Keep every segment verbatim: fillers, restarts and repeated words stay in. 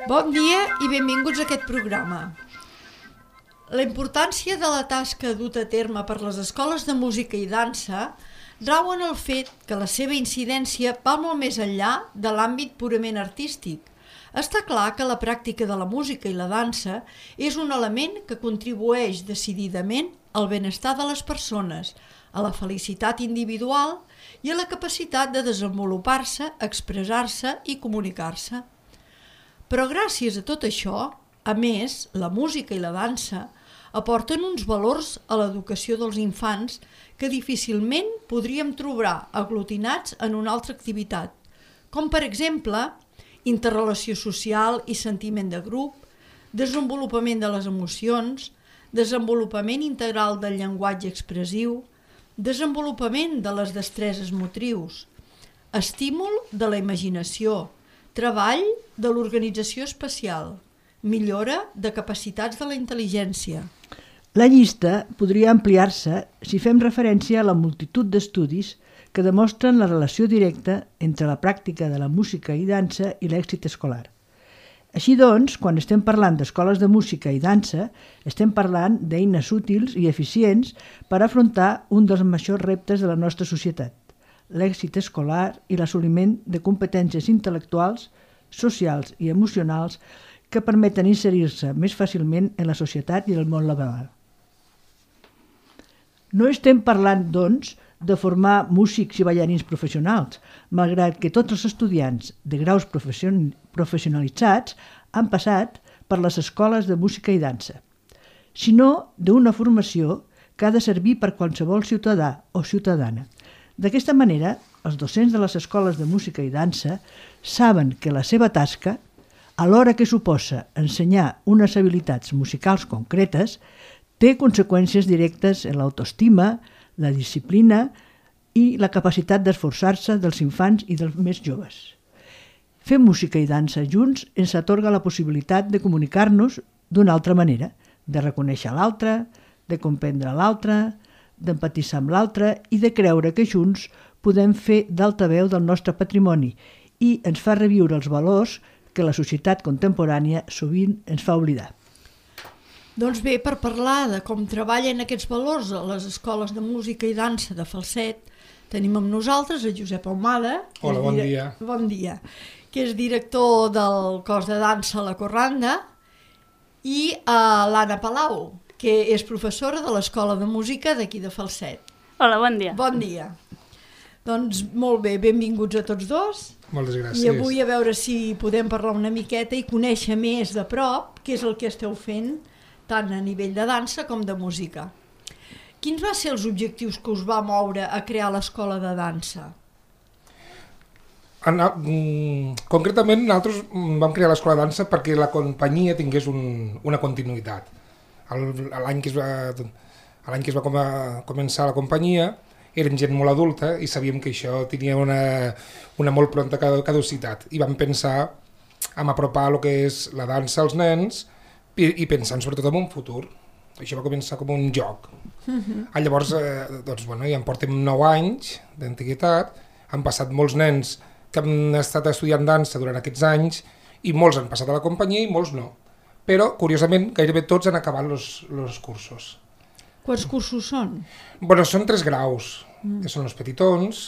Bon dia i benvinguts a aquest programa. La importància de la tasca duta a terme per les escoles de música i dansa rau en el fet que la seva incidència va molt més enllà de l'àmbit purament artístic. Està clar que la pràctica de la música i la dansa és un element que contribueix decididament al benestar de les persones, a la felicitat individual i a la capacitat de desenvolupar-se, expressar-se i comunicar-se. Però gràcies a tot això, a més, la música i la dansa aporten uns valors a l'educació dels infants que difícilment podríem trobar aglutinats en una altra activitat, com per exemple interrelació social i sentiment de grup, desenvolupament de les emocions, desenvolupament integral del llenguatge expressiu, desenvolupament de les destreses motrius, estímul de la imaginació, treball de l'organització espacial, millora de capacitats de la intel·ligència. La llista podria ampliar-se si fem referència a la multitud d'estudis que demostren la relació directa entre la pràctica de la música i dansa i l'èxit escolar. Així doncs, quan estem parlant d'escoles de música i dansa, estem parlant d'eines útils i eficients per afrontar un dels majors reptes de la nostra societat, l'èxit escolar i l'assoliment de competències intel·lectuals, socials i emocionals que permeten inserir-se més fàcilment en la societat i el món laboral. No estem parlant, doncs, de formar músics i ballarins professionals, malgrat que tots els estudiants de graus professionalitzats han passat per les escoles de música i dansa, sinó d'una formació que ha de servir per qualsevol ciutadà o ciutadana. D'aquesta manera, els docents de les escoles de música i dansa saben que la seva tasca, alhora que suposa ensenyar unes habilitats musicals concretes, té conseqüències directes en l'autoestima, la disciplina i la capacitat d'esforçar-se dels infants i dels més joves. Fer música i dansa junts ens atorga la possibilitat de comunicar-nos d'una altra manera, de reconèixer l'altre, de comprendre l'altre, d'empatitzar amb l'altre i de creure que junts podem fer d'altaveu del nostre patrimoni i ens fa reviure els valors que la societat contemporània sovint ens fa oblidar. Doncs bé, per parlar de com treballen aquests valors a les escoles de música i dansa de Falset, tenim amb nosaltres a Josep Ahumada. Hola, bon dia. Bon dia. Que és director del cos de dansa La Corranda, i a l'Anna Palau, que és professora de l'Escola de Música d'aquí de Falset. Hola, bon dia. Bon dia. Doncs molt bé, benvinguts a tots dos. Moltes gràcies. I avui a veure si podem parlar una miqueta i conèixer més de prop què és el que esteu fent, tant a nivell de dansa com de música. Quins van ser els objectius que us va moure a crear l'escola de dansa? En, mm, concretament, nosaltres vam crear l'escola de dansa perquè la companyia tingués un, una continuïtat. L'any que es va, l'any que es va com a, començar la companyia, érem gent molt adulta i sabíem que això tenia una, una molt pronta caducitat. I vam pensar en apropar el que és la dansa als nens i, i pensant sobretot en un futur. Això va començar com un joc. Uh-huh. Llavors, eh, doncs, bueno, ja en portem nou anys d'antiguitat, han passat molts nens que han estat estudiant dansa durant aquests anys i molts han passat a la companyia i molts no. Però, curiosament, gairebé tots han acabat els cursos. Quants cursos són? Bueno, són tres graus, mm. que són els petitons,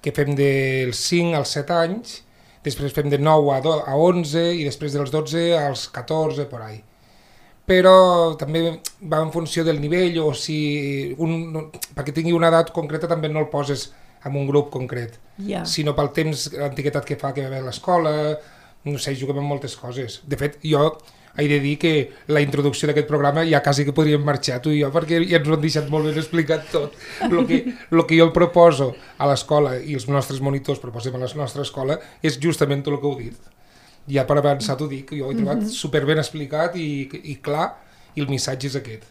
que fem dels cinc als set anys, després fem de nou a onze i després dels dotze als catorze, por ahí. Però també va en funció del nivell, o si un, perquè tingui una edat concreta també no el poses en un grup concret, yeah. sinó pel temps, l'antiguitat que fa que va haver a l'escola, no sé, juguem amb moltes coses. De fet, jo he de dir que la introducció d'aquest programa ja quasi que podríem marxar tu i jo, perquè ja ens ho han deixat molt ben explicat tot. El que, el que jo el proposo a l'escola i els nostres monitors proposem a la nostra escola és justament tot el que heu dit. Ja per avançar t'ho dic, jo ho he trobat superben explicat i, i clar, i el missatge és aquest.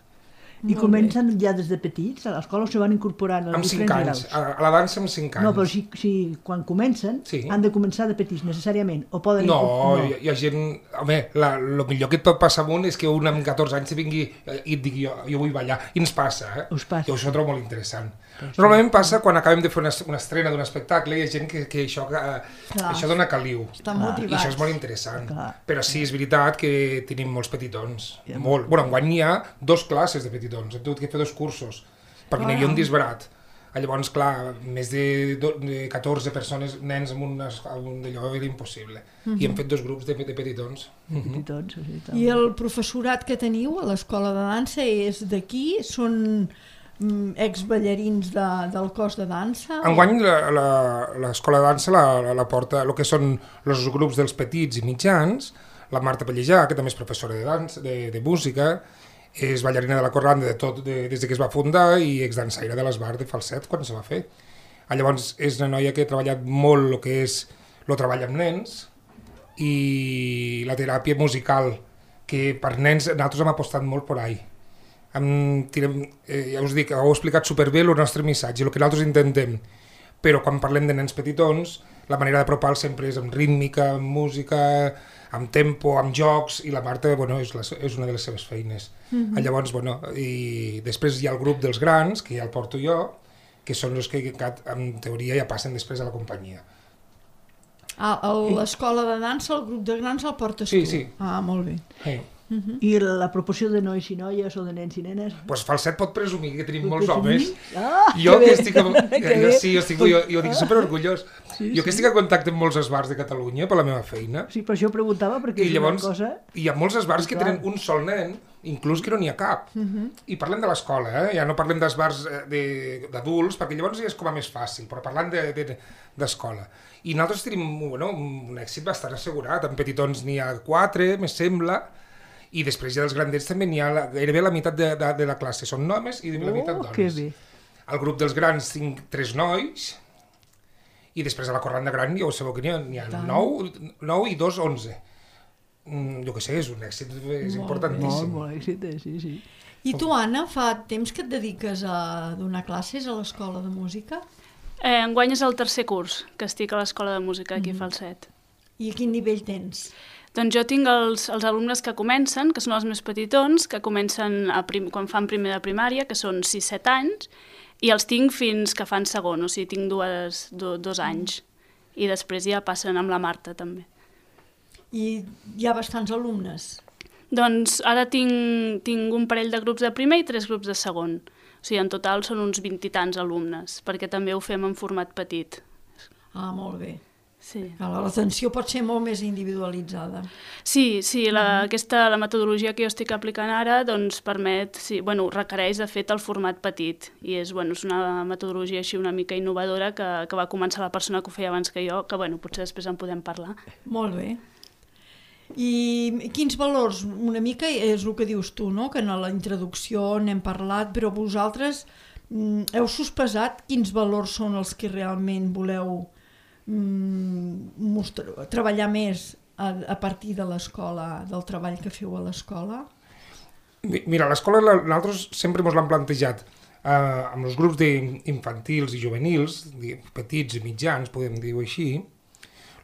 I comencen ja des de petits, a l'escola o se van incorporant als Amb cinc diferents anys, graus? a la dansa amb cinc anys. No, però si, si quan comencen Sí. han de començar de petits, necessàriament, o poden... No, incor- hi, hi ha gent... Home, la, lo millor que et pot passar amunt és que un amb catorze anys vingui eh, i et digui jo, jo vull ballar. I ens passa, eh? Us passa. Jo això ho trobo molt interessant. Normalment passa quan acabem de fer una, una estrena d'un espectacle, hi ha gent que, que això, eh, això dona caliu. Estan I motivats. això és molt interessant. Clar. Però sí, és veritat que tenim molts petitons. Molt. Bueno, enguany hi ha dos classes de petitons. Hem tingut que fer dos cursos, perquè n'hi havia un disbarat. Llavors, clar, més de, do, de catorze persones, nens amb, una, amb un d'allò, era impossible. Mm-hmm. I hem fet dos grups de, de petitons. Petitons, sí, tal. I el professorat que teniu a l'escola de dansa és d'aquí? Són mm, exballarins de, del cos de dansa? Enguany l'escola de dansa la, la, la porta el que són els grups dels petits i mitjans, la Marta Pellejà, que també és professora de dansa, de, de música, és ballarina de la Corranda de tot, de, des de que es va fundar i exdansaire de l'Esbar de falset quan se va fer. Llavors és una noia que ha treballat molt el que és el treball amb nens i la teràpia musical, que per nens nosaltres hem apostat molt per ahí. Amb, tirem, eh, ja us dic, heu explicat superbé el nostre missatge, el que nosaltres intentem, però quan parlem de nens petitons, la manera d'apropar sempre és amb rítmica, amb música, amb tempo, amb jocs, i la Marta, bueno, és, la, és una de les seves feines. Mm-hmm. Llavors, bueno, i després hi ha el grup dels grans, que ja el porto jo, que són els que en teoria ja passen després a la companyia. Ah, a l'escola de dansa, el grup de grans el portes Sí, tu? sí. Ah, molt bé. Sí. Uh-huh. I la proporció de nois i noies o de nens i nenes? Pues falset pot presumir que tenim Pot molts homes. presumir? Ah, Jo que que bé. estic, amb, Que jo, bé. sí, jo estic, jo, jo dic superorgullós. Sí, jo que sí. estic en contacte amb molts esbars de Catalunya per la meva feina, Sí, per això ho preguntava, perquè i és llavors una cosa... hi ha molts esbars que Clar. tenen un sol nen, inclús que no n'hi ha cap. Uh-huh. I parlem de l'escola, eh? Ja no parlem d'esbars eh, de- d'adults, perquè llavors ja és com a més fàcil, però parlant d'escola. De, de, I nosaltres tenim bueno, un èxit bastant assegurat, en petitons n'hi ha quatre, me sembla, i després ja dels grandets també n'hi ha la, gairebé la meitat de, de, de la classe, són homes i la meitat Oh, dones. que bé. Al grup dels grans tinc tres nois, i després a la Corranda Gran ja ho sabeu que n'hi ha, n'hi ha nou, nou i dos, onze. Mm, jo què sé, és un èxit, és Molt, importantíssim. molt èxit, eh? sí, sí. I tu, Anna, fa temps que et dediques a donar classes a l'escola de música? Eh, enguany és el tercer curs que estic a l'Escola de Música aquí a Falset. I a quin nivell tens? Doncs jo tinc els, els alumnes que comencen, que són els més petitons, que comencen a prim, quan fan primer de primària, que són sis set anys, i els tinc fins que fan segon, o sigui, tinc dues, do, dos anys. I després ja passen amb la Marta, també. I hi ha bastants alumnes? Doncs ara tinc, tinc un parell de grups de primer i tres grups de segon. O sigui, en total són uns vint i tants alumnes, perquè també ho fem en format petit. Ah, molt bé. Sí. L'atenció pot ser molt més individualitzada. Sí, sí, la, aquesta, la metodologia que jo estic aplicant ara doncs permet, sí, bueno, requereix de fet el format petit i és, bueno, és una metodologia així una mica innovadora que, que va començar la persona que ho feia abans que jo, que bueno, potser després en podem parlar. Molt bé. I quins valors? Una mica és el que dius tu, no? Que en la introducció n'hem parlat, però vosaltres mm, heu sospesat quins valors són els que realment voleu mm, mostrar, treballar més a, a partir de l'escola, del treball que feu a l'escola? Mi- Mira, a l'escola la- nosaltres sempre ens l'han plantejat eh, amb els grups d'infantils i juvenils, di- petits i mitjans, podem dir-ho així,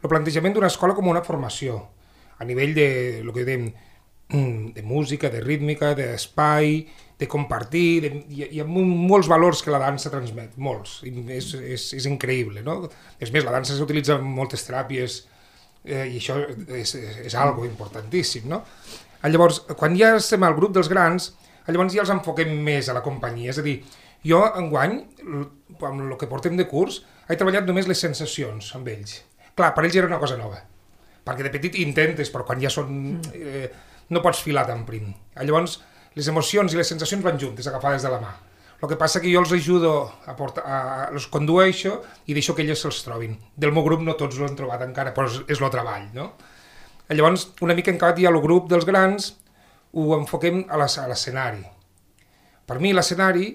el plantejament d'una escola com una formació, a nivell de, lo que dèiem, mm, de música, de rítmica, d'espai, de compartir, de, hi, ha- hi ha mo- molts valors que la dansa transmet, molts, i és, és, és increïble, no? És més, la dansa s'utilitza en moltes teràpies eh, i això és, és, és algo importantíssim, no? Llavors, quan ja estem al grup dels grans, llavors ja els enfoquem més a la companyia, és a dir, jo enguany, l- amb el que portem de curs, he treballat només les sensacions amb ells. Clar, per ells era una cosa nova, perquè de petit intentes, però quan ja són... Eh, no pots filar tan prim. Llavors, les emocions i les sensacions van juntes, agafades de la mà. El que passa que jo els ajudo a portar, a, els condueixo i deixo que ells se'ls trobin. Del meu grup no tots l'han trobat encara, però és, és el treball, no? Llavors, una mica en cada dia el grup dels grans ho enfoquem a l'es- a l'escenari. Per mi l'escenari,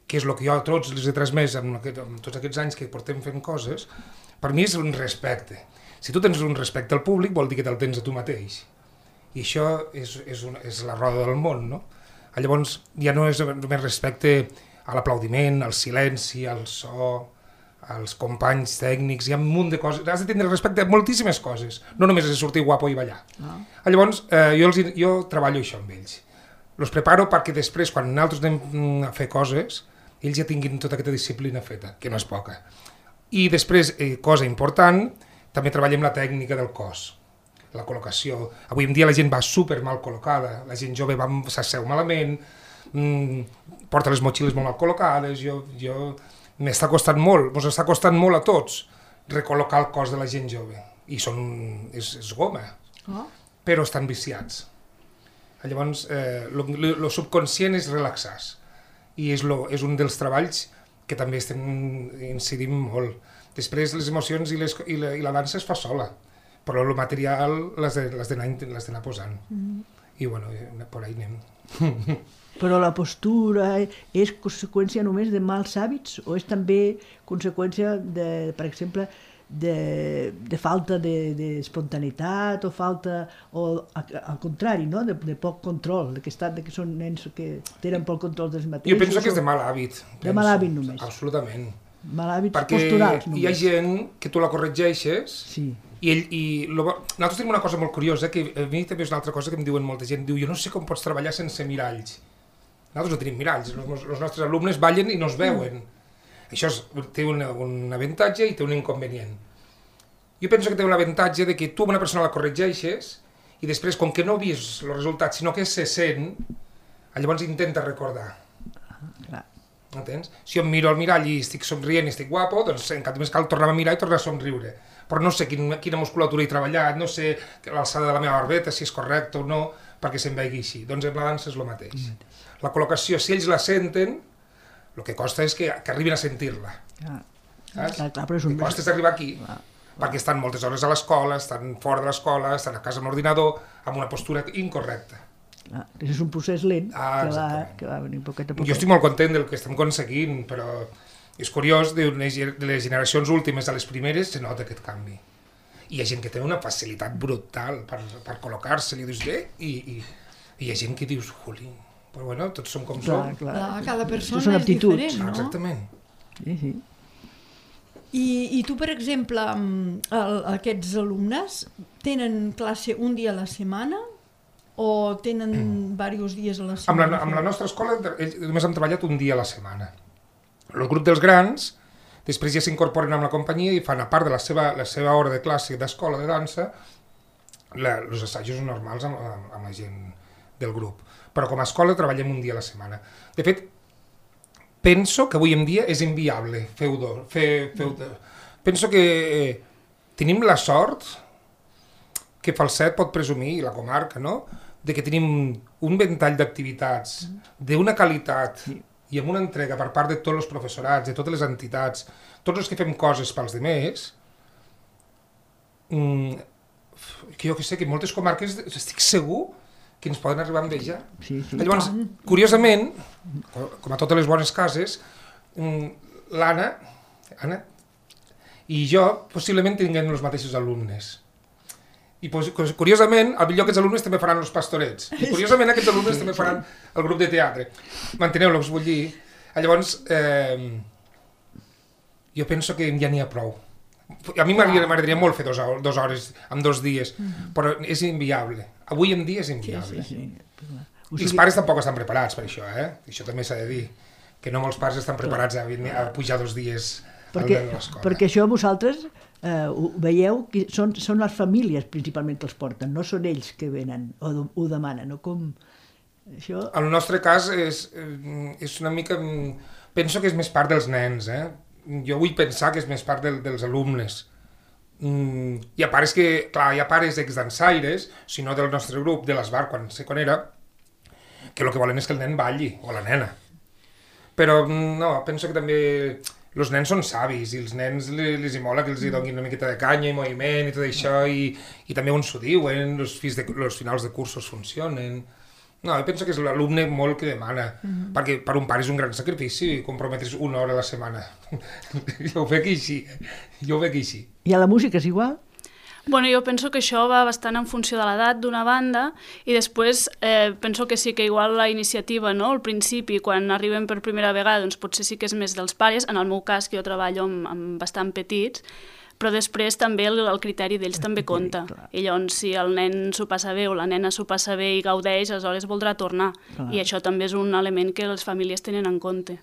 que és el que jo a tots els he transmès amb, aquest, amb tots aquests anys que portem fent coses, per mi és un respecte. Si tu tens un respecte al públic vol dir que te'l tens a tu mateix. I això és, és, una, és la roda del món, no? Llavors ja no és només respecte a l'aplaudiment, al silenci, al so, als companys tècnics, hi ha un munt de coses, has de tindre respecte a moltíssimes coses, no només és sortir guapo i ballar. Ah. Llavors eh, jo, els, jo treballo això amb ells, els preparo perquè després quan nosaltres anem a fer coses, ells ja tinguin tota aquesta disciplina feta, que no és poca. I després, eh, cosa important, també treballem la tècnica del cos, la col·locació. Avui en dia la gent va super mal col·locada, la gent jove s'asseu malament, mmm, porta les motxilles molt mal col·locades, jo, jo m'està costant molt, ens està costant molt a tots recol·locar el cos de la gent jove. I són, és, és goma, oh. però estan viciats. Llavors, el eh, subconscient és relaxar-se. I és, lo, és un dels treballs que també estem incidint molt. Després les emocions i, les, i, la, i la dansa es fa sola, però el material les d'anar posant. Mm. I bueno, per ahí anem. Però la postura és conseqüència només de mals hàbits o és també conseqüència, de, per exemple, de, de falta d'espontaneïtat o falta, o al contrari, no? de, de poc control, de que, estan, de que són nens que tenen poc control dels mateixos? Jo penso que és de mal hàbit. De mal hàbit només? Absolutament. Mal hàbits perquè posturals només. Hi ha gent que tu la corregeixes sí. i, ell, i lo, nosaltres tenim una cosa molt curiosa, que a mi també és una altra cosa que em diuen molta gent, diu, jo no sé com pots treballar sense miralls. Nosaltres no tenim miralls, els, els nostres alumnes ballen i no es veuen. Mm. Això és, té un, un avantatge i té un inconvenient. Jo penso que té un avantatge de que tu a una persona la corregeixes i després, com que no he vist el resultat, sinó que se sent, llavors intenta recordar. Ah, clar. Entens? Si jo em miro al mirall i estic somrient i estic guapo, doncs en cap més cal tornar a mirar i tornar a somriure. Però no sé quin, quina musculatura he treballat, no sé l'alçada de la meva barbeta, si és correcte o no, perquè se'm vegi així. Doncs amb la dansa és el mateix. La col·locació, si ells la senten, el que costa és que, que arribin a sentir-la. Ah, clar, clar, però és un... El que costa és arribar aquí, ah, perquè estan moltes hores a l'escola, estan fora de l'escola, estan a casa amb l'ordinador, amb una postura incorrecta. Ah, és un procés lent ah, que, va, que va venir poquet a poquet. Jo estic molt content del que estem aconseguint, però és curiós, de les generacions últimes a les primeres se nota aquest canvi. I hi ha gent que té una facilitat brutal per, per col·locar-se, li dius, eh? I, i, i hi ha gent que dius, jolín, però bueno, tots som com clar, som. Clar, clar, cada persona són és diferent, no? Exactament. Sí, sí. I, I tu, per exemple, el, aquests alumnes tenen classe un dia a la setmana o tenen mm. diversos dies a la setmana? Amb la, amb la nostra escola ells només hem treballat un dia a la setmana. El grup dels grans després ja s'incorporen amb la companyia i fan, a part de la seva, la seva hora de classe d'escola de dansa, la, els assajos normals amb, amb, amb la gent del grup. Però com a escola treballem un dia a la setmana. De fet, penso que avui en dia és inviable fer-ho dos. Fer, fer penso que eh, tenim la sort que Falset pot presumir, i la comarca, no?, de que tenim un ventall d'activitats d'una qualitat i amb una entrega per part de tots els professorats, de totes les entitats, tots els que fem coses pels demés, que jo que sé, que en moltes comarques estic segur que ens poden arribar a envejar. Sí, sí. Llavors, curiosament, com a totes les bones cases, l'Anna Anna, i jo possiblement tinguem els mateixos alumnes. I curiosament, al millor aquests alumnes també faran els pastorets. I curiosament aquests alumnes també faran el grup de teatre. Manteneu-los, vull dir. Llavors, eh, jo penso que ja n'hi ha prou. A mi m'agradaria molt fer dues hores en dos dies, però és inviable. Avui en dia és inviable. Sí, sí, sí. I els pares tampoc estan preparats per això, eh? Això també s'ha de dir. Que no molts pares estan preparats a, a pujar dos dies perquè, a l'escola. Perquè això vosaltres eh, ho veieu que són, són les famílies principalment que els porten, no són ells que venen o ho demanen, no? Com això... En el nostre cas és, és una mica... Penso que és més part dels nens, eh? Jo vull pensar que és més part del, dels alumnes. Mm, hi ha pares que, clar, hi ha pares exdansaires, si no del nostre grup, de l'Esbar, quan sé quan era, que el que volen és que el nen balli, o la nena. Però no, penso que també els nens són savis i els nens les hi mola que els hi donin una miqueta de canya i moviment i tot això, i, i també on s'ho diuen, els finals de cursos funcionen. No, jo penso que és l'alumne molt que demana, mm-hmm. perquè per un pare és un gran sacrifici comprometre's una hora a la setmana. Jo ho veig així, jo ho veig així. I a la música és igual? Bueno, jo penso que això va bastant en funció de l'edat d'una banda i després eh, penso que sí que igual la iniciativa, no? Al principi, quan arriben per primera vegada, doncs potser sí que és més dels pares, en el meu cas que jo treballo amb, amb bastant petits, però després també el, el criteri d'ells també compta. I llavors, si el nen s'ho passa bé o la nena s'ho passa bé i gaudeix, aleshores voldrà tornar. Clar. I això també és un element que les famílies tenen en compte.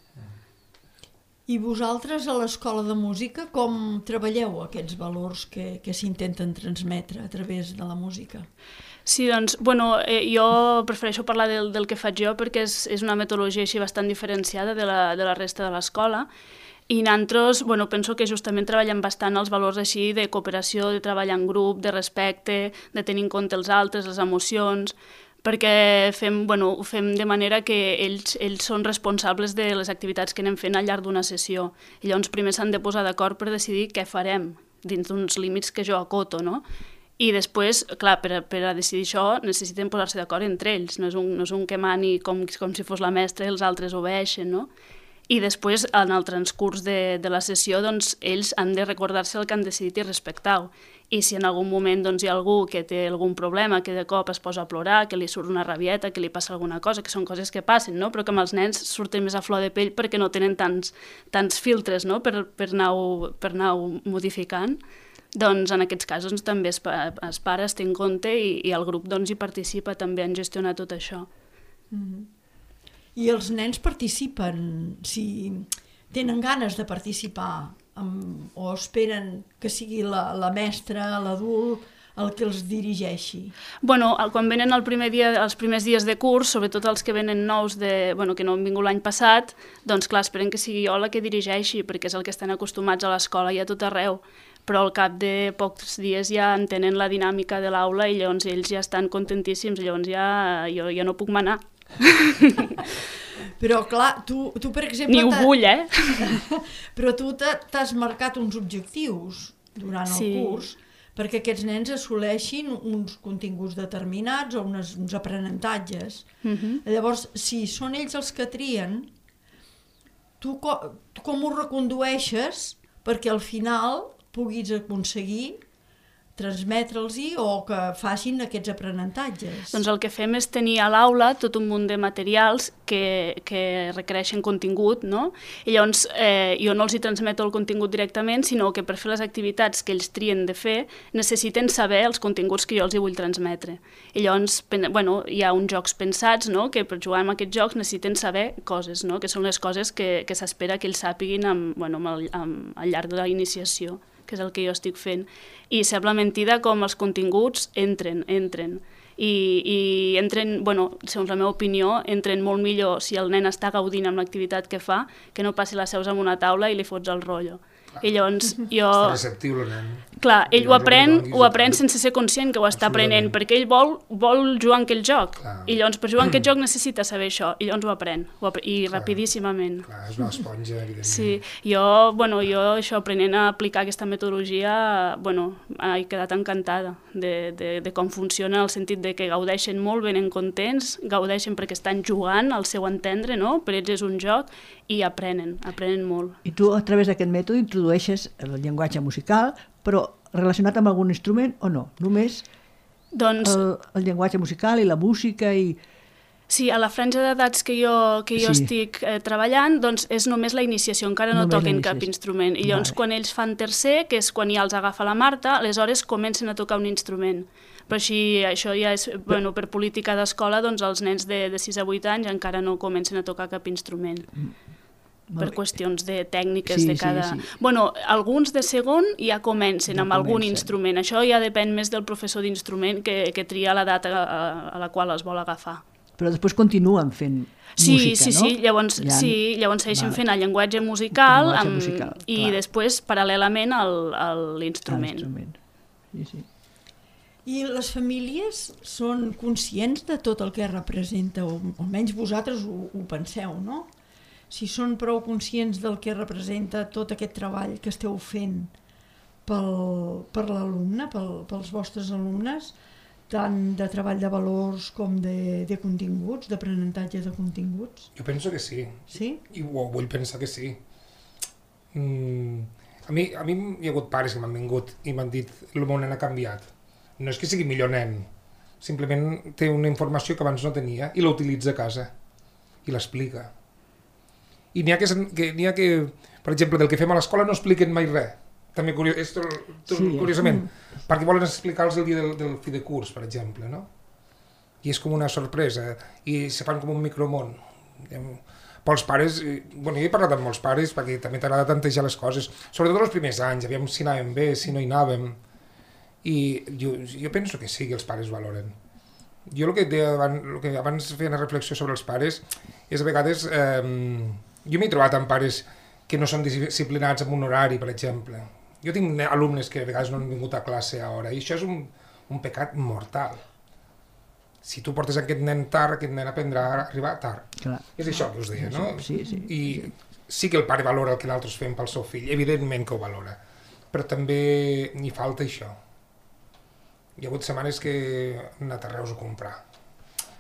I vosaltres a l'Escola de Música com treballeu aquests valors que, que s'intenten transmetre a través de la música? Sí, doncs, bueno, eh, jo prefereixo parlar del, del que faig jo perquè és, és una metodologia així bastant diferenciada de la, de la resta de l'escola. I nosaltres, bueno, penso que justament treballem bastant els valors així de cooperació, de treballar en grup, de respecte, de tenir en compte els altres, les emocions, perquè fem, bueno, ho fem de manera que ells, ells són responsables de les activitats que anem fent al llarg d'una sessió. I llavors primer s'han de posar d'acord per decidir què farem dins d'uns límits que jo acoto, no? I després, clar, per, per a decidir això necessiten posar-se d'acord entre ells, no és un, no és un que mani com, com si fos la mestra i els altres obeeixen, no? I després, en el transcurs de, de la sessió, doncs, ells han de recordar-se el que han decidit i respectar-ho. I si en algun moment doncs, hi ha algú que té algun problema, que de cop es posa a plorar, que li surt una rabieta, que li passa alguna cosa, que són coses que passen, no? Però que amb els nens surten més a flor de pell perquè no tenen tants, tants filtres, no? per, per anar-ho per anar-ho modificant, doncs en aquests casos també es, es para, es té en compte i, i el grup doncs, hi participa també en gestionar tot això. Mm-hmm. I els nens participen, si tenen ganes de participar, amb, o esperen que sigui la, la mestra, l'adult, el que els dirigeixi? Bueno, quan venen el primer dia, els primers dies de curs, sobretot els que venen nous, de, bueno, que no han vingut l'any passat, doncs clar, esperen que sigui jo la que dirigeixi, perquè és el que estan acostumats a l'escola i a tot arreu. Però al cap de pocs dies ja entenen la dinàmica de l'aula i llavors ells ja estan contentíssims, llavors ja jo ja no puc manar. Però clar, tu, tu per exemple... Ni ho vull, eh? Però tu t'has marcat uns objectius durant el sí. curs perquè aquests nens assoleixin uns continguts determinats o unes, uns aprenentatges. Uh-huh. Llavors, si són ells els que trien, tu, co tu com ho recondueixes perquè al final puguis aconseguir transmetre'ls-hi o que facin aquests aprenentatges? Doncs el que fem és tenir a l'aula tot un munt de materials que, que requereixen contingut, no? I llavors eh, jo no els hi transmeto el contingut directament, sinó que per fer les activitats que ells trien de fer necessiten saber els continguts que jo els hi vull transmetre. I llavors, bueno, hi ha uns jocs pensats, no?, que per jugar amb aquests jocs necessiten saber coses, no?, que són les coses que, que s'espera que ells sàpiguin amb, bueno, amb el, amb, al llarg de la iniciació, que és el que jo estic fent. I sembla mentida com els continguts entren, entren. I, i entren, bueno, segons la meva opinió, entren molt millor si el nen està gaudint amb l'activitat que fa, que no passi les seus en una taula i li fots el rotllo. Clar. I llavors jo... Està receptiu el nen. Clar, ell ho aprèn, ho aprèn sense ser conscient que ho està aprenent, perquè ell vol, vol jugar en aquell joc. Clar. I llavors per jugar en aquest joc necessita saber això, i llavors ho aprèn, ho aprèn i clar, rapidíssimament. Clar, és una esponja, evidentment. Sí, jo, bueno, jo això, aprenent a aplicar aquesta metodologia, bueno, he quedat encantada de, de, de com funciona, en el sentit de que gaudeixen molt, venen contents, gaudeixen perquè estan jugant al seu entendre, no? Per ells és un joc, i aprenen, aprenen molt. I tu a través d'aquest mètode introdueixes el llenguatge musical, però relacionat amb algun instrument o no? Només doncs, el, el llenguatge musical i la música i... Sí, a la franja d'edats que jo, que jo sí. estic eh, treballant, doncs és només la iniciació, encara no només toquen cap instrument. I llavors vale. Quan ells fan tercer, que és quan ja els agafa la Marta, aleshores comencen a tocar un instrument. Però així, això ja és, bueno, per política d'escola, doncs els nens de, de sis a vuit anys encara no comencen a tocar cap instrument. Per qüestions de tècniques sí, de cada... Sí, sí. Bueno, alguns de segon ja comencen ja amb comencen. algun instrument. Això ja depèn més del professor d'instrument que, que tria la data a, a la qual es vol agafar. Però després continuen fent sí, música, sí, no? Sí, llavors, ja... sí, llavors segueixen vale. fent el llenguatge musical, el llenguatge amb, musical i clar. Després, paral·lelament, l'instrument. Sí, sí. I les famílies són conscients de tot el que representa, o almenys vosaltres ho, ho penseu, no? Si són prou conscients del que representa tot aquest treball que esteu fent pel, per l'alumne, pel, pels vostres alumnes, tant de treball de valors com de, de continguts, d'aprenentatge de continguts? Jo penso que sí. Sí? I ho vull pensar que sí. Mm, A mi, a mi hi ha hagut pares que m'han vingut i m'han dit el meu nen ha canviat. No és que sigui millor nen, simplement té una informació que abans no tenia i la utilitza a casa i l'explica. I n'hi ha que, que, n'hi ha que, per exemple, del que fem a l'escola no expliquen mai res. També curiós, és tot, tot, sí, curiosament, mm. perquè volen explicar-los el dia del, del fi de curs, per exemple, no? I és com una sorpresa, i se fan com un micromón. Pels pares, bueno, jo he parlat amb molts pares perquè també t'agrada tantejar les coses, sobretot els primers anys, aviam si anàvem bé, si no hi anàvem, i jo, jo penso que sí que els pares valoren. Jo el que, deia abans, el que abans feia una reflexió sobre els pares és a vegades, eh, jo m'he trobat amb pares que no són disciplinats amb un horari, per exemple. Jo tinc alumnes que a vegades no han vingut a classe a hora, i això és un, un pecat mortal. Si tu portes aquest nen tard, aquest nen aprendrà a arribar tard. Clar. És això que us deia, no? Sí, sí. I sí que el pare valora el que nosaltres fem pel seu fill, evidentment que ho valora, però també n'hi falta això. Hi ha hagut setmanes que han anat a Reus a comprar.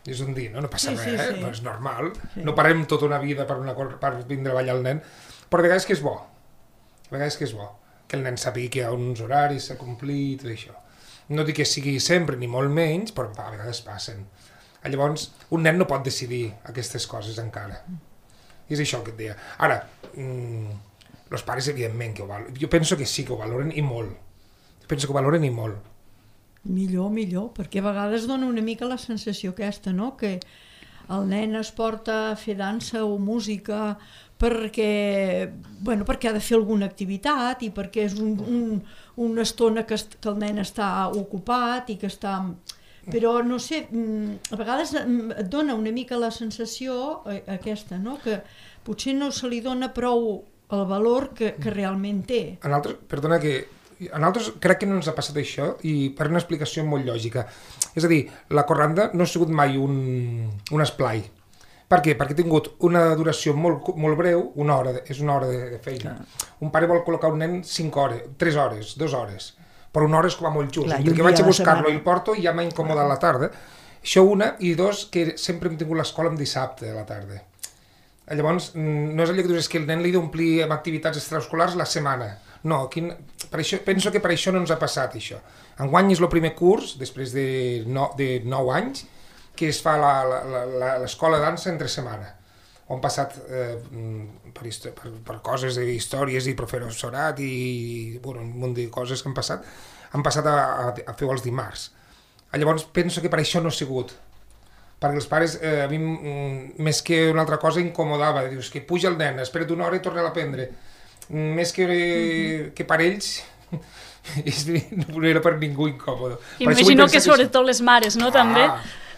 És un dia, no? No passa sí, res, sí, eh? Sí. No és normal. Sí. No parem tota una vida per, una, per vindre a ballar el nen, però a vegades que és bo. A vegades que és bo. Que el nen sàpiga que hi ha uns horaris a complir i tot això. No dic que sigui sempre, ni molt menys, però a vegades passen. Llavors, un nen no pot decidir aquestes coses encara. I és això que et deia. Ara, mmm, els pares, evidentment, que ho valoren. Jo penso que sí que ho valoren i molt. Jo penso que ho valoren i molt. Millor, millor, perquè a vegades dona una mica la sensació aquesta, no?, que el nen es porta a fer dansa o música perquè, bueno, perquè ha de fer alguna activitat i perquè és un, un, una estona que, que el nen està ocupat i que està... Però, no sé, a vegades et dona una mica la sensació aquesta, no?, que potser no se li dona prou el valor que, que realment té. En altres, perdona que... A nosaltres crec que no ens ha passat això i per una explicació molt lògica. És a dir, la corranda no ha sigut mai un, un esplai. Per què? Perquè ha tingut una duració molt, molt breu, una hora, és una hora de feina. Clar. Un pare vol col·locar un nen cinc hores, tres hores, dues hores, però una hora és com a molt just. Clar, que vaig a buscar-lo i el porto i ja m'ha incomodat la tarda. Això una, i dos, que sempre hem tingut l'escola en dissabte a la tarda. Llavors, no és allò que dius que el nen li d'omplir amb activitats extraescolars la setmana. No, aquí, per això, penso que per això no ens ha passat això. Enguany és el primer curs, després de, no, de nou anys, que es fa l'escola de dansa entre setmana, on han passat eh, per, per, per coses d'històries i professorat i bueno, un munt de coses que han passat, han passat a, a, a fer els dimarts. Llavors penso que per això no ha sigut, perquè els pares, eh, a mi més que una altra cosa incomodava, dius que puja el nen, espera't una hora i torna a aprendre, més que, mm-hmm. que per ells no era per ningú incòmode. Imagino que sobretot les mares, no, ah, també?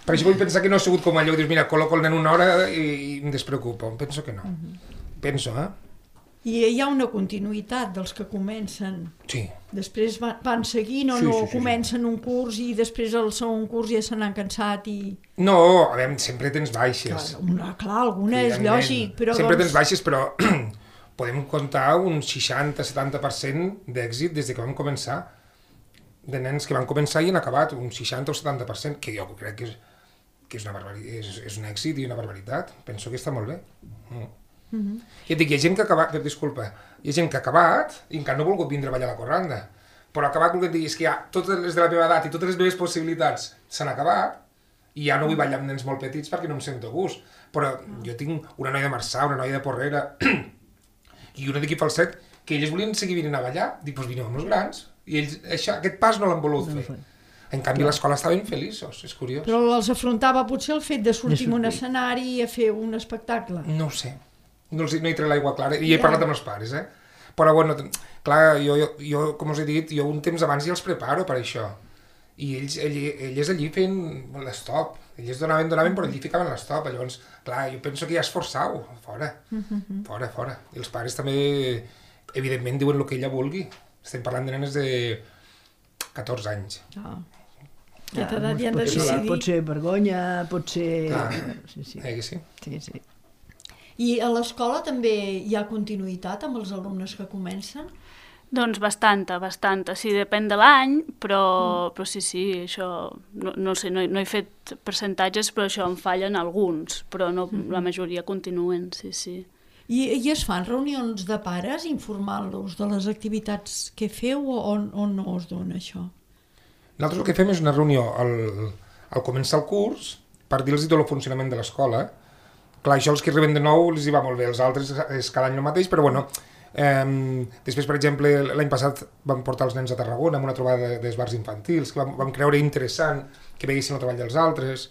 Per això vull pensar que no ha sigut com allò, dius, mira, col·loco el nen una hora i, i em despreocupo. Penso que no. Mm-hmm. Penso, eh? I hi ha una continuïtat dels que comencen. Sí. Després van, van seguint o sí, no sí, sí, comencen sí. un curs i després el segon curs ja se n'han cansat i... No, a veure, sempre tens baixes. Clar, una, clar alguna és lògic, però... Sempre doncs... tens baixes, però podem comptar un seixanta a setanta per cent d'èxit des de que vam començar. De nens que van començar i han acabat, un seixanta o setanta per cent, que jo crec que és, que és, una barbaritat, és, és un èxit i una barbaritat. Penso que està molt bé. Mm. Mm-hmm. I et dic, hi ha gent que ha acabat, disculpa, hi ha gent que ha acabat i encara no ha volgut vindre a ballar a la corranda, però ha acabat volent dir és que ja totes les de la meva edat i totes les meves possibilitats s'han acabat i ja no vull ballar amb nens molt petits perquè no em sento a gust, però jo tinc una noia de Marçà, una noia de Porrera i una d'aquí Falset que ells volien seguir venint a ballar, dic, doncs vineu amb els grans i ells això, aquest pas no l'han volut fer. En canvi, a l'escola estaven feliços, és curiós. Però els afrontava potser el fet de sortir en un escenari i a fer un espectacle. No ho sé. No, els, no hi trec l'aigua clara, i he parlat amb els pares, eh? Però, bueno, clar, jo, jo, jo, com us he dit, jo un temps abans ja els preparo per això. I ells, ell, elles allí feien l'estop. Elles donaven, donaven, però allí ficaven l'estop. Llavors, clar, jo penso que ja esforçau, fora, fora, fora. I els pares també, evidentment, diuen el que ella vulgui. Estem parlant de nenes de catorze anys. Ah. Ja t'ha dat, ja han de decidir. Pot ser vergonya, pot ser... Ah, sí, sí. Eh que sí? Sí, sí. I a l'escola també hi ha continuïtat amb els alumnes que comencen? Doncs bastanta, bastanta. Sí, depèn de l'any, però, mm. però sí, sí, això, no, no sé, no, no he fet percentatges, però això em fallen alguns, però no, mm-hmm. la majoria continuen, sí, sí. I, I es fan reunions de pares informant-los de les activitats que feu o, o no es dona això? Nosaltres el que fem és una reunió al, al començar el curs per dir-los tot el funcionament de l'escola. Clar, això els que arriben de nou els hi va molt bé, els altres és cada any el mateix, però bueno, eh, després, per exemple, l'any passat vam portar els nens a Tarragona amb una trobada d'esbarts infantils, que vam, vam creure interessant que veiessin el treball dels altres,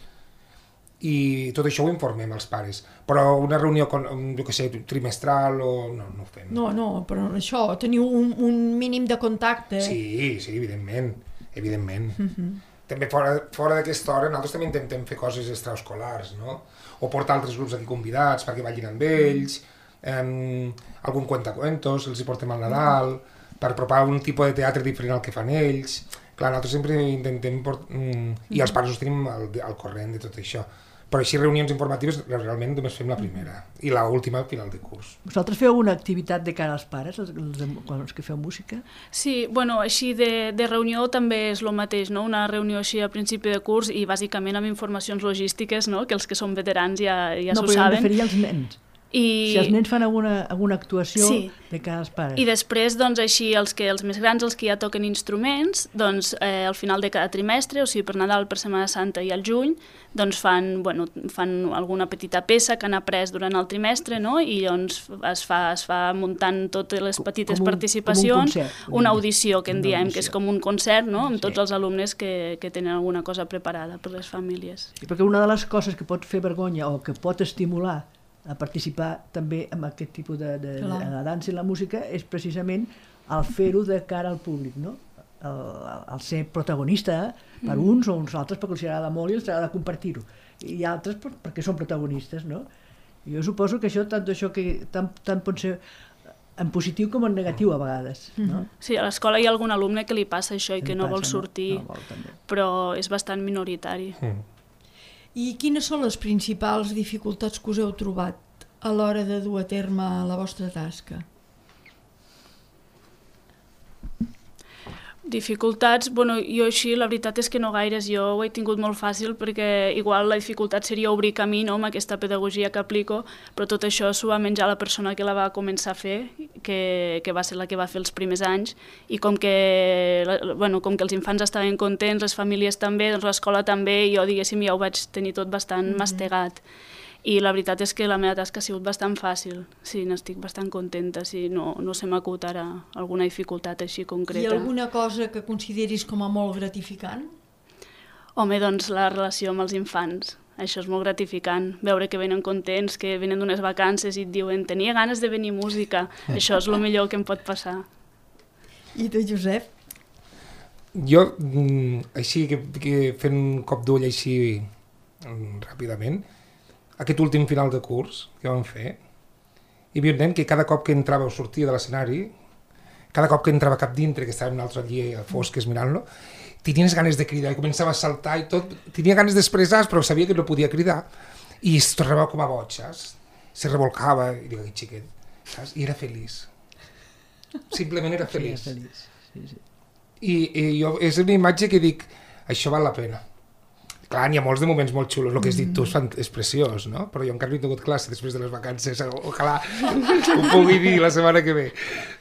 i tot això ho informem als pares. Però una reunió, jo què sé, trimestral o... no, no ho fem. No, no, però això, teniu un, un mínim de contacte. Sí, sí, evidentment, evidentment. Uh-huh. També fora, fora d'aquesta hora nosaltres també intentem fer coses extraescolars, no? O portar altres grups aquí convidats perquè ballin amb ells, eh, algun cuentacuentos, els hi portem al Nadal, per apropar un tipus de teatre diferent al que fan ells. Clar, nosaltres sempre intentem... Port... I els pares us tenim al, al corrent de tot això. Però així reunions informatives realment només fem la primera i l'última al final de curs. Vosaltres feu una activitat de cara als pares, els, els, els que feu música? Sí, bueno, així de, de reunió també és el mateix, no? Una reunió així a principi de curs i bàsicament amb informacions logístiques, no? Que els que són veterans ja, ja no, s'ho saben. No, però jo em referia als nens. I... Si els nens fan alguna, alguna actuació sí. de cara als pares. I després, doncs, així, els, que, els més grans, els que ja toquen instruments, doncs, eh, al final de cada trimestre, o sigui, per Nadal, per Setmana Santa i al juny, doncs fan, bueno, fan alguna petita peça que han après durant el trimestre, no? I llavors es fa, es fa muntant totes les petites com un, participacions, com un concert, una audició, que en diem, audició. Que és com un concert, no? Amb sí. tots els alumnes que, que tenen alguna cosa preparada per les famílies. Sí, perquè una de les coses que pot fer vergonya o que pot estimular a participar també en aquest tipus de, de, de la dansa i la música és precisament el fer-ho de cara al públic, no? El, el ser protagonista per mm. uns o uns altres perquè els agrada molt i els agrada compartir-ho, i altres per, perquè són protagonistes, no? I jo suposo que això, tant això que tant, tant pot ser en positiu com en negatiu a vegades, no? Sí, a l'escola hi ha algun alumne que li passa això i que, que no passa, vol sortir, no? No vol, però és bastant minoritari. Mm. I quines són les principals dificultats que us heu trobat a l'hora de dur a terme la vostra tasca? Dificultats, bueno, jo així la veritat és que no gaires, jo ho he tingut molt fàcil perquè igual la dificultat seria obrir camí, no?, amb aquesta pedagogia que aplico, però tot això s'ho va menjar la persona que la va començar a fer, que, que va ser la que va fer els primers anys, i com que, bueno, com que els infants estaven contents, les famílies també, doncs l'escola també, i jo diguéssim ja ho vaig tenir tot bastant mm-hmm. mastegat. I la veritat és que la meva tasca ha sigut bastant fàcil, sí, n'estic bastant contenta, sí, no, no se m'acut ara alguna dificultat així concreta. I alguna cosa que consideris com a molt gratificant? Home, doncs la relació amb els infants, això és molt gratificant, veure que venen contents, que venen d'unes vacances i et diuen tenia ganes de venir música, això és el millor que em pot passar. I tu, Josep? Jo, així, que, que fent un cop d'ull així ràpidament, aquest últim final de curs que vam fer, hi havia un nen que cada cop que entrava o sortia de l'escenari, cada cop que entrava cap dintre, que estàvem nosaltres allí a fosques mirant-lo, tenies ganes de cridar, i començava a saltar i tot, tenia ganes d'expressar, però sabia que no podia cridar, i es tornava com a boig, se revolcava, i dic, aquest xiquet, saps? I era feliç. Simplement era feliç. Sí, feliç. Sí, sí. I, i jo, és una imatge que dic, això val la pena. Clar, n'hi ha molts de moments molt xulos, el que has dit tu és, és preciós, no? Però jo encara no he tingut classe després de les vacances, ojalà ho pugui dir la setmana que ve.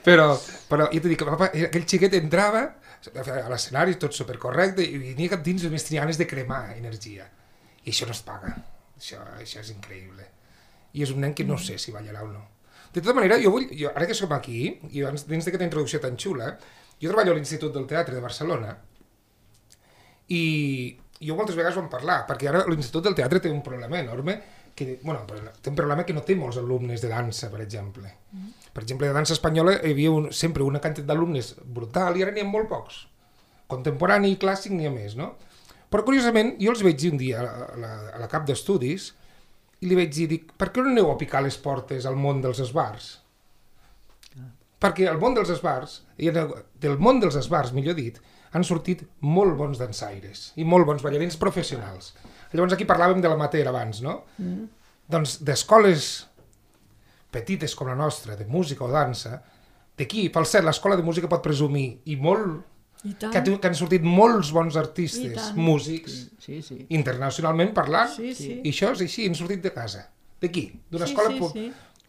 Però, però jo t'he dit que papa, aquell xiquet entrava a l'escenari, tot supercorrecte, i venia cap dins, només tenia ganes de cremar energia. I això no es paga, això, això és increïble. I és un nen que no sé si ballarà o no. De tota manera, jo vull, jo, ara que som aquí, i dins d'aquesta introducció tan xula, jo treballo a l'Institut del Teatre de Barcelona, i jo moltes vegades vam parlar, perquè ara l'Institut del Teatre té un problema enorme, que, bueno, té un problema que no té molts alumnes de dansa, per exemple. Mm. Per exemple, de dansa espanyola hi havia un, sempre una quantitat d'alumnes brutal i ara n'hi ha molt pocs. Contemporani i clàssic n'hi ha més, no? Però curiosament, jo els vaig dir un dia a la, a la cap d'estudis i li vaig dir, dic, per què no aneu a picar les portes al món dels esbars? Ah. Perquè el món dels esbars, del món dels esbars, millor dit, han sortit molt bons dansaires i molt bons ballarins professionals. Llavors aquí parlàvem de l'amateur abans, no? Mm. Doncs d'escoles petites com la nostra, de música o dansa, d'aquí, pel cert, l'escola de música pot presumir, i molt, I que, que han sortit molts bons artistes, músics, sí, sí, sí. internacionalment parlant, sí, sí. i això és així, han sortit de casa, d'aquí, d'una sí, escola sí, sí.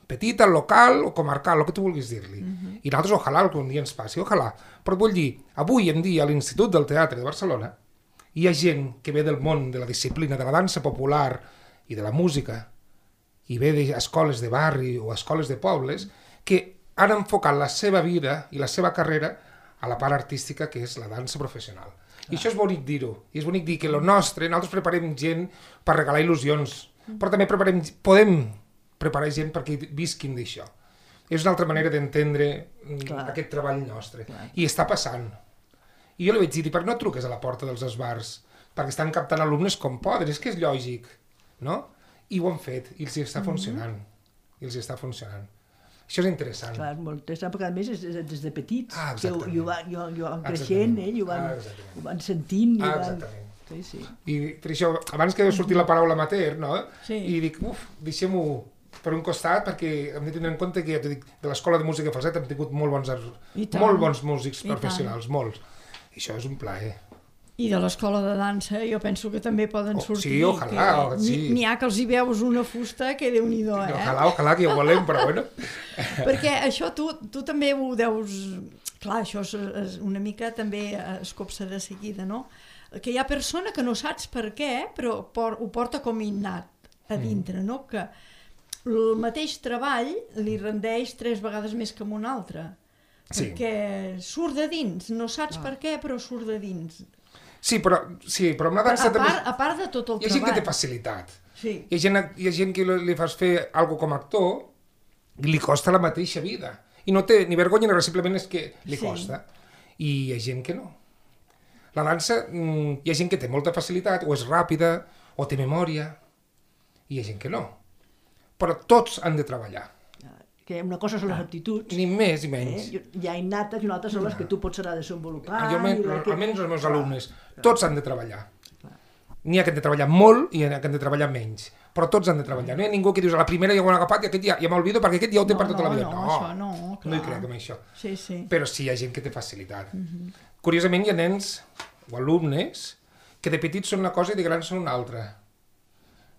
petita, local o comarcal, el que tu vulguis dir-li. Uh-huh. I nosaltres, ojalà, algun dia ens passi, ojalà. Però et vull dir, avui en dia a l'Institut del Teatre de Barcelona hi ha gent que ve del món de la disciplina de la dansa popular i de la música, i ve d'escoles de barri o escoles de pobles, que han enfocat la seva vida i la seva carrera a la part artística, que és la dansa professional. I això és bonic dir-ho, i és bonic dir que el nostre, nosaltres preparem gent per regalar il·lusions, però també preparem, podem preparar gent perquè visquin d'això. És una altra manera d'entendre aquest treball nostre. Clar. I està passant. I jo li vaig dir, per què no truques a la porta dels esbars? Perquè estan captant alumnes com poden, és que és lògic, no? I ho han fet, i els hi està funcionant. Mm-hmm. I els hi està funcionant. Això és interessant. Clar, molt interessant, perquè a més és des de petits, ah, que ho, i ho, va, i ho, i ho van creixent, eh, i ho van, ah, ho van sentint. I ah, ho van... exactament. Sí, sí. I per això, abans que sortir la paraula amateur, no? Sí. I dic, uf, deixem-ho per un costat, perquè hem de tenir en compte que, ja t'ho dic, de l'Escola de Música Falset hem tingut molt bons, molt bons músics I professionals, tant. molts. I això és un plaer. I de l'escola de dansa, jo penso que també poden sortir. Oh, sí, ojalà, que sí. N'hi ha que els hi veus una fusta que Déu-n'hi-do, eh? Ojalà, ojalà, que ho volem, però bueno. Perquè això tu, tu també ho deus... Clar, això és, és una mica també es copsa de seguida, no? Que hi ha persona que no saps per què, però por, ho porta com innat a dintre, no? Que el mateix treball li rendeix tres vegades més que amb un altre. Sí. Perquè surt de dins, no saps per què, però surt de dins. Sí, però, sí, però amb la dansa a, part, també... a part de tot el hi ha treball. gent que té facilitat. Sí. Hi ha gent, hi ha gent que li fas fer alguna com a actor i li costa la mateixa vida. I no té ni vergonya ni res, simplement és que li Sí. costa. I hi ha gent que no. La dansa, hi ha gent que té molta facilitat, o és ràpida, o té memòria, i hi ha gent que no. Però tots han de treballar. Que una cosa són les aptituds, Ni més ni menys. eh? Hi ha innates i una altra són les que tu pots anar a desenvolupar. Jo, i la que... almenys els meus alumnes, tots han de treballar. N'hi ha que han de treballar molt i n'hi ha que han de treballar menys, però tots han de treballar. No hi ha ningú que dius a la primera ja ho han agafat i aquest ja, ja m'olvido perquè aquest ja ho té No, per tota no, la vida. no, No, això no, clar. no hi crec en això. Sí, sí. Però sí hi ha gent que té facilitat. Curiosament hi ha nens o alumnes que de petits són una cosa i de grans són una altra.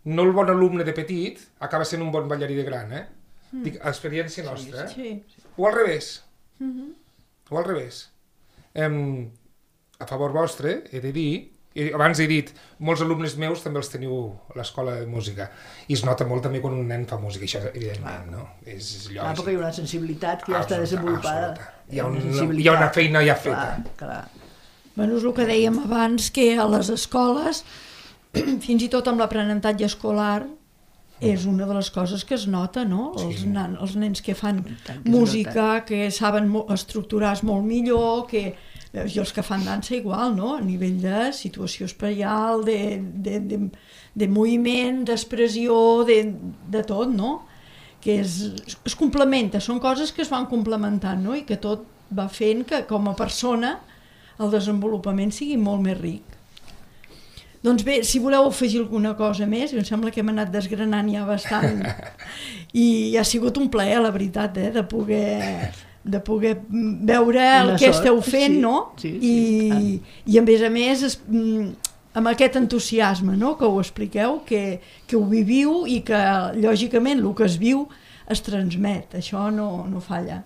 No el bon alumne de petit acaba sent un bon ballarí de gran, eh? Dic, experiència nostra, eh? Sí. O al revés. O al revés. Em, a favor vostre, he de dir, i abans he dit, molts alumnes meus també els teniu a l'escola de música, i es nota molt també quan un nen fa música, això evidentment, no? És lògic. Clar, perquè hi ha una sensibilitat que ja està Absoluta, desenvolupada. absoluta. Hi ha, un, Sensibilitat. hi ha una feina ja feta. Clar, clar. Bueno, és el que dèiem abans, que a les escoles, fins i tot amb l'aprenentatge escolar, és una de les coses que es nota, no? Els, Sí. nan, els nens que fan tant que es música, que saben mo- estructurar-se molt millor, que, eh, i els que fan dansa igual, no? A nivell de situació espaial, de, de, de, de moviment, d'expressió, de, de tot, no? Que es, es complementa, són coses que es van complementant, no? I que tot va fent que com a persona el desenvolupament sigui molt més ric. Doncs bé, si voleu afegir alguna cosa més, em sembla que hem anat desgranant ja bastant i ha sigut un plaer, la veritat, eh, de poder, de poder veure el Una que sort, esteu fent, sí, no? sí, I, sí. I a més a més, es, amb aquest entusiasme, no?, que ho expliqueu, que, que ho viviu i que, lògicament, el que es viu es transmet, això no, no falla.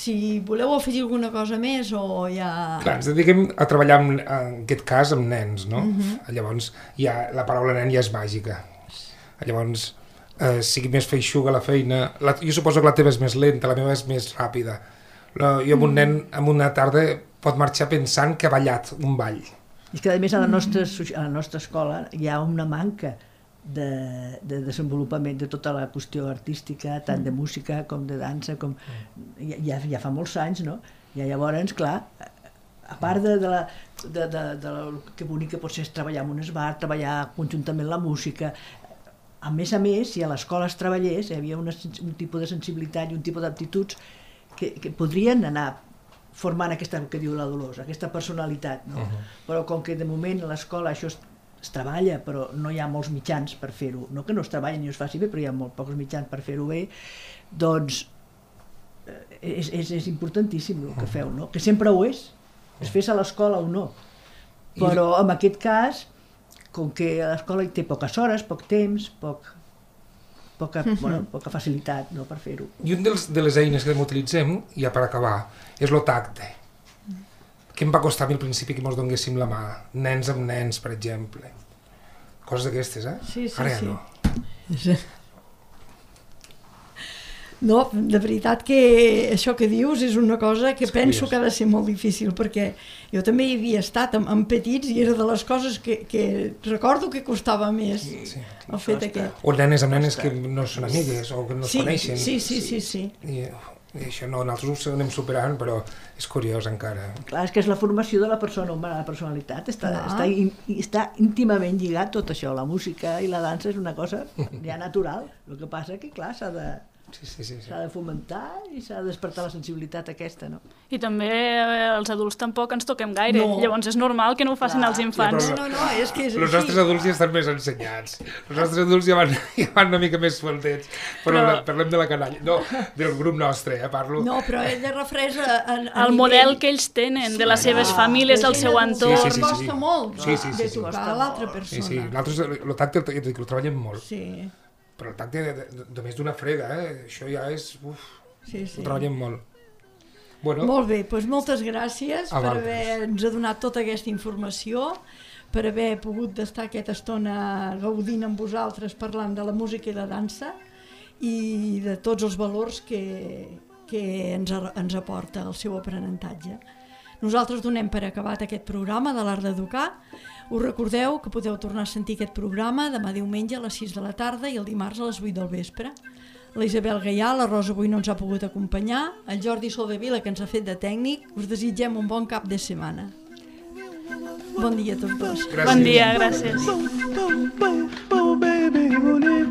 Si voleu afegir alguna cosa més o ja... Clar, ens dediquem a treballar, amb, en aquest cas, amb nens, no? Uh-huh. Llavors, ja, la paraula nen ja és màgica. Llavors, eh, sigui més feixuga la feina... La, jo suposo que la teva és més lenta, la meva és més ràpida. La, jo amb un nen, en una tarda, pot marxar pensant que ha ballat un ball. I és que, a més, a la nostra, a la nostra escola hi ha una manca de, de desenvolupament de tota la qüestió artística, tant de música com de dansa, com ja, ja fa molts anys, no? I llavors, clar, a part de, de, la, de, de, de la, que bonic que pot ser treballar en un esbar, treballar conjuntament la música, a més a més, si a l'escola es treballés, hi havia una, un tipus de sensibilitat i un tipus d'aptituds que, que podrien anar formant aquesta, que diu la Dolors, aquesta personalitat, no? Uh-huh. Però com que de moment a l'escola això es, es treballa, però no hi ha molts mitjans per fer-ho, no que no es treballi ni es faci bé, però hi ha molt pocs mitjans per fer-ho bé, doncs és, és, és importantíssim el que feu, no? Que sempre ho és, es fes a l'escola o no, però en aquest cas, com que a l'escola hi té poques hores, poc temps, poc... poca, bueno, poca facilitat, no?, per fer-ho. I un dels, de les eines que utilitzem, ja per acabar, és el tacte. Que em va costar a mi al principi que mos donguéssim la mà, nens amb nens, per exemple. Coses d'aquestes, eh? Sí, sí, Ara ja sí. no. No, de veritat que això que dius és una cosa que És penso curiós. que ha de ser molt difícil, perquè jo també hi havia estat amb, amb petits i era de les coses que, que recordo que costava més Sí. el fet aquest. O nenes amb nenes que no són amigues o que no es Sí, coneixen. sí, sí, sí, sí. I, i això no, nosaltres ho anem superant, però és curiós encara. Clar, és que és la formació de la persona humana, la personalitat, està, Clar. està, in, està íntimament lligat tot això, la música i la dansa és una cosa ja natural, el que passa que, clar, s'ha de, Sí, sí, sí. sí. s'ha de fomentar i s'ha de despertar la sensibilitat aquesta, no? I també eh, els adults tampoc ens toquem gaire, No. llavors és normal que no ho facin Clar. els infants. No, no, no, és que és Els nostres així. adults ja estan més ensenyats. Els nostres adults ja van, ja van una mica més sueltets. Però, Però- però... parlem de la canalla. No, del grup nostre, eh, parlo. No, però ella refresa a, a El model que ells tenen, de les seves famílies, del seu entorn. Sí, sí, sí, sí. Costa molt Sí, sí, sí, de sí. tocar a l'altra Sí, persona. sí, nosaltres el tacte el, el, el treballem molt, Sí, però el tacte de, de, només d'una frega, eh? Això ja és... Uf, sí, sí. ho treballem molt. Bueno, Molt bé, doncs moltes gràcies A per vosaltres. haver-nos donat tota aquesta informació, per haver pogut estar aquesta estona gaudint amb vosaltres parlant de la música i la dansa i de tots els valors que, que ens, a- ens aporta el seu aprenentatge. Nosaltres donem per acabat aquest programa de l'Art d'Educar. Us recordeu que podeu tornar a sentir aquest programa demà diumenge a les sis de la tarda i el dimarts a les vuit del vespre. La Isabel Gaià, la Rosa avui no ens ha pogut acompanyar, el Jordi Soldevila, que ens ha fet de tècnic. Us desitgem un bon cap de setmana. Bon dia a tots dos. gràcies. Bon dia, gràcies. Oh, baby,